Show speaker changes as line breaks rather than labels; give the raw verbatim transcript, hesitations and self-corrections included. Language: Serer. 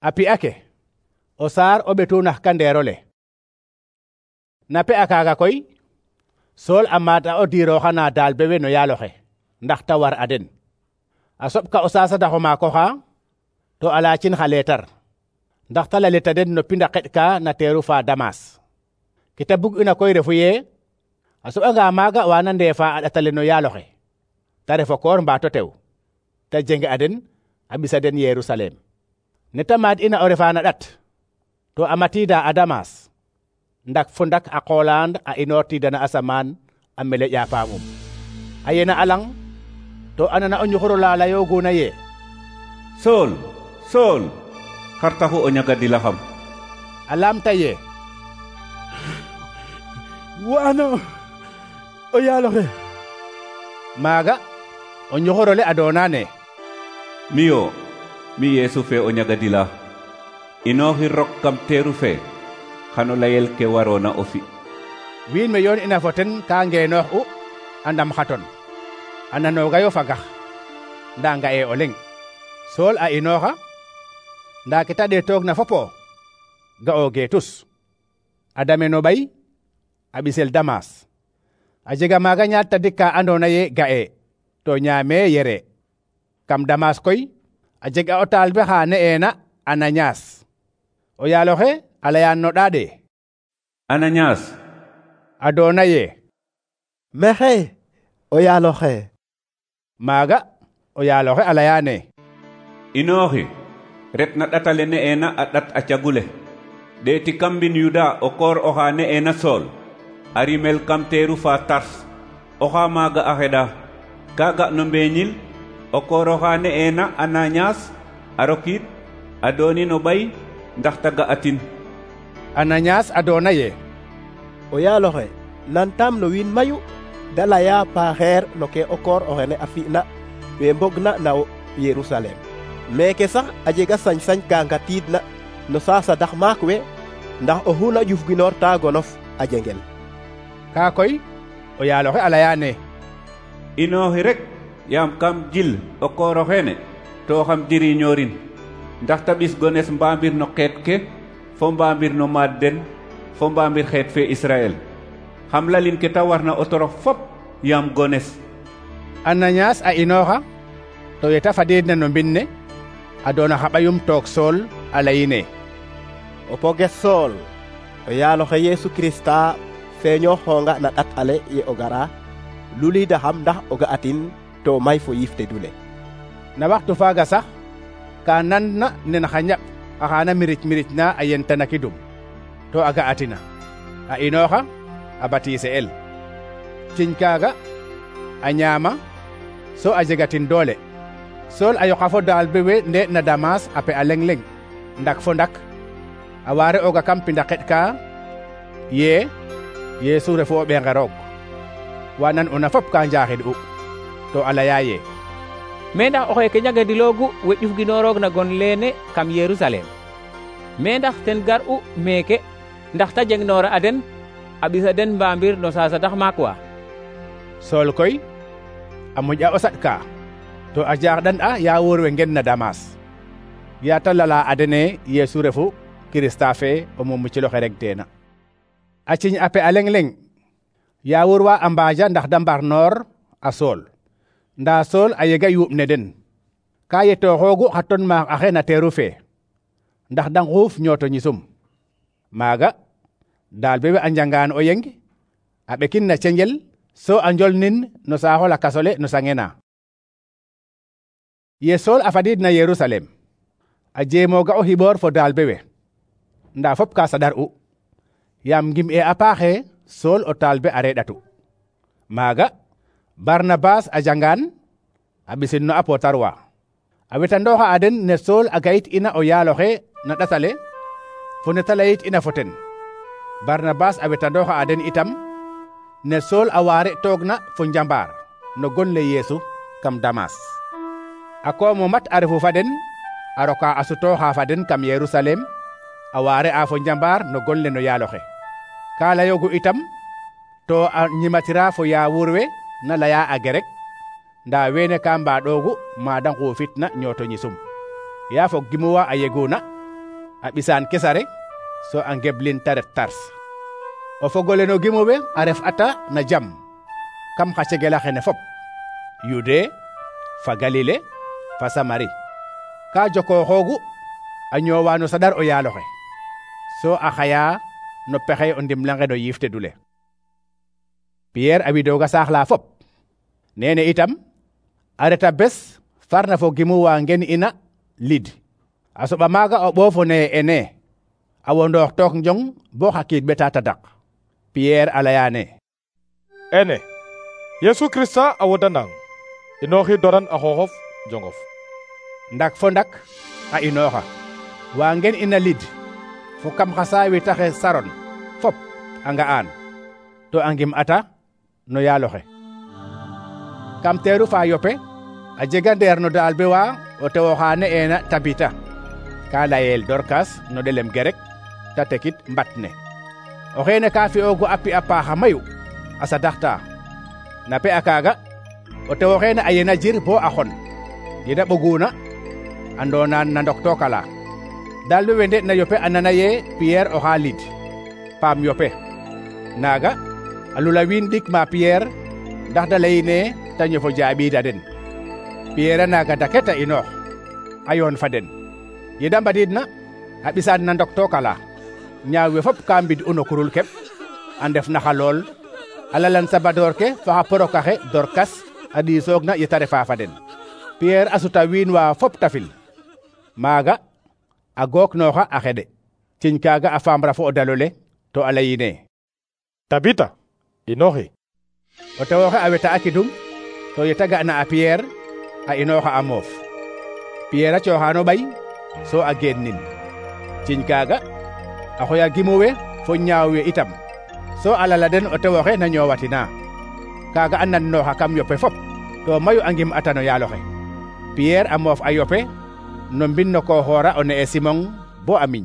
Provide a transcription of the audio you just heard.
A pi'a ke o saar o ɓetunax kandeerole. Na pe'a kaaga koy Sool a maata o diirooxana Dalbe we no yaaloxe ndax ta war a den. A soɓka o saasadax o maak oxa to a laacin xa leetar ndax ta lalita den no pind a qeɗ ka na teeru fa Damas. Ke ta bug'ina koy refu yee a soɓanga maaga wana ndeefa a ɗatale no yaaloxe ta ref o koor mbaato tew ta jenge a den a ɓisa den Yerusalem. Ne ta maad ina o refa na ɗat to a matiida a Damas ndak fo ndak a qoolaan a inoortiidana asamaan a mele ƴapaamum. A yena a lang to a nana o ñuxur ola layooguna yee:
Sool, Sool, xar taxu o ñagadilaxam?
A laamta yee:
Wa'ano o yaaloxe.
Maaga o ñuxur ole a doona ne:
Miyo, mi Yeesu fe o ñagadila. Inooxi rok kam teeru fe xano layel ke waroona o fi'.
Wiin we yoon ina fo ten ka ngeenoox u a ndam xaton a nanoogayo fagax ndaa nga'ee o leŋ. Sool a inooxa ndaa ke ta ɗeetoog na fopo ga'oogee tus. A dame no ɓay a ɓisel Damas. A jega maaga ñaat tadik ka andoona yee ga'ee to ñaamee yeree. Kam Damas koy a jega o taalibe xa ne'eena Ananias. O yaaloxe a layaan no ɗaade:
Ananias.
A doona yee:
Maxey o yaaloxe.
Maaga o yaaloxe a layaane:
Inooxi ret na ɗatale ne'eena a ɗat a cagule. ɗeeti kam mbin Yuda o koor oxa ne'eena Sool a rimel kam teeru fa Tars. Oxa maaga a xeɗa ka ga no mbeeñil o koor oxa ne'eena Ananias a rokiid a dooni no ɓay ndax ta ga'atin.
Ananias a doona yee:
O yaaloxe nantaam no wiin mayu da laya paaxeer no ke o koor oxene a fi'na we mbogna na Yerusalem. Meeke sax a jega sañ-sañ ka ngatiidna no saasadax maak we ndax oxu na ƴufginoor ta gonof a jengel.
Kaa koy o yaaloxe a layaane:
Inooxi rek yaam kam jil o koor oxeene to xam jiriñoorin ndax ta ɓis gones mbaambir no xeet ke fo mbaambir no maad den fo mbaambir xeet fe Israel. xam lalin ke ta warna o torox fop yaam gones.
Ananias a inooxa to ye ta fadiidna no mbin ne a doona xa ɓayum toog Sool a layine:
O poges Sool, o yaaloxe Yeesu Kirista feeñooxoonga na ɗat ale ye o gara luliidaxam ndax o ga'atin to may fo yiif te dule.
Na waxtu faaga sax ka nanna nen xa ñaɓ axaana miric miric na a yentanakidum to a ga'atina. A inooxa a batiise el. Ciñ kaaga a ñaama so a jegatin doole. Sool a yoqa fo Dalbe we nde na Damas a pe a leŋ leŋ ndak fo ndak a waare ooga kam pinda qeɗ ka yee Yeesu refu o ɓeenge roog. Wa nan una fop ka njaaxid u to a laya yee:
Me ndax oxe ke ñagadiloogu we ƴufginooroogna gon leene kam Yerusalem? Me ndax ten gar'u meeke ndax ta jengnoora a den a ɓisa den mbaambir no saasadax maak wa?
Sool koy a moƴ'a o saɗ ka to a jaaxɗan a yaawuur we ngen na Damas. yaa ta lala a dene Yeesu refu Kirista fe o mumuciloxe reg teena. A ciñ a pe a leŋ leŋ yaawuur wa a mbaaja ndax da mbarnoor a Sool. Ndaa Sool a yega yuuɓ ne den ka yetooxoogu xa ton maak axe na teeru fe ndax da nguuf ñooto ñisum. Maaga Dalbe we a njangaan o yeng a ɓekin na cengel so a njolnin no saaxo lakas ole no sangena. Ye Sool a fadiid na Yerusalem a jeemooga o xiɓoor fo Dalbe we ndaa fop ka saɗar'u yaam ngim'e a paaxe Sool o taalibe a reɗatu. Maaga Barnabas a jangaan a ɓisin no apotarwa a wetandooxa a den ne Sool a gayit ina o yaaloxe na ɗatale fo ne ta layit ina fo ten. Barnabas a wetandooxa a den itam ne Sool a waare toogna fo njambaar no gon le Yeesu kam Damas. A koomo mat a refu fa den a roka a sutooxa fa den kam Yerusalem a waare a fo njambaar no gon le no yaaloxe. Ka layoogu itam to a ñimatira fo yaawuur we na laya a gerek ndaa weene ka mbaaɗoogu maada nguufitna ñooto ñisum. Yaa fog gimuwa a yeguna a ɓisaan kesare so a ngeblin ta ret Tars. o fogole no gimowe a ref ata na jam kam xa cegela xene fop, Yude fa Galile fa Samari. ka jokooxoogu a ñoowa no saɗar o yaaloxe, so a xaya no pexey o ndimlange no yiif tedule. Pierre a widooga saax la fop. Nene itam a reta bes farna fo gimu wa ngen ina Lid. a soɓa maaga o ɓoofo ne ene a wondoox took njong bo xa kiid ɓeta tadak. Pierre a layane:
ene Yesu Krista a wodanang, inooxi doran a xooxof jongof.
Ndak fo ndak a inooxa wa ngen ina Lid fo kam xa saawi taxe Saron fop a nga'an to a ngim ata no yaaloxe. Kam teeru fa Yope a jega ndeer no Dalbe wa o tew oxa ne'eena Tabita, ka layel Dorkas no ɗelem gerek, ta tekit mbat ne. o xeene ka fi'oogu a pi'a paaxa mayu a sadaxta. na pe'a kaaga o tew oxeene a yena jir bo a xon. yeda ɓoguna a ndoonaan na ndoktook ala. Dalbe we nde'na Yope a nana ye Pierre oxa Lid, paam Yope. Naaga a lula wiin ɗik ma Pierre ndax da layine ta ñofo jaaɓiida den. Pierre a naaga daket a inoox a yoon fa den. yeda mbadiidna a ɓisaan na ndoktook ala. ñaaw we fop ka mbid u no kurul keɓ a ndef na xa lool a lalan sabadoor ke fa xa porokaxe Dorkas a ɗiisoog na yeta refa fa den. Pierre a suta wiin wa fop tafil. Maaga a gook nooxa a xeɗe. ciñ kaaga a faamra fo o dalole to a layine:
Tabita, inooxi.
o tewoxe a weta a kidum to yeta ga'na a Pierre a inooxa a moof. Pierre a cooxano ɓay so a geen nin. ciñ kaaga a xoya gimu we fo ñaaw we itam, so a lala den o tewoxe na ñoowatina. Kaaga a nannooxa kam Yope fop to mayu a ngim ata no yaaloxe. Pierre a moof a Yope no mbin no ko xoora o ne'e Simon bo a miñ.